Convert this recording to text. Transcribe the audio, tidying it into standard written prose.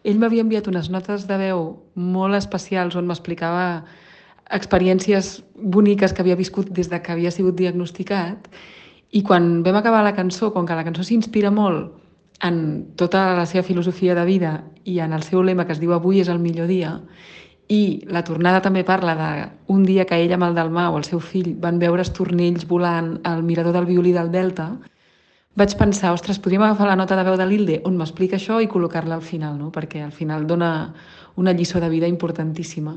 ell m'havia enviat unes notes de veu molt especials on m'explicava experiències boniques que havia viscut des de que havia sigut diagnosticat, i quan vam acabar la cançó, com que la cançó s'inspira molt en tota la seva filosofia de vida i en el seu lema que es diu "Avui és el millor dia", i la tornada també parla d'un dia que ell amb el Dalmau, el seu fill, van veure estornells volant al mirador del Violí del Delta, vaig pensar, ostres, podríem agafar la nota de veu de l'Hilde on m'explica això i col·locar-la al final, no? Perquè al final dona una lliçó de vida importantíssima.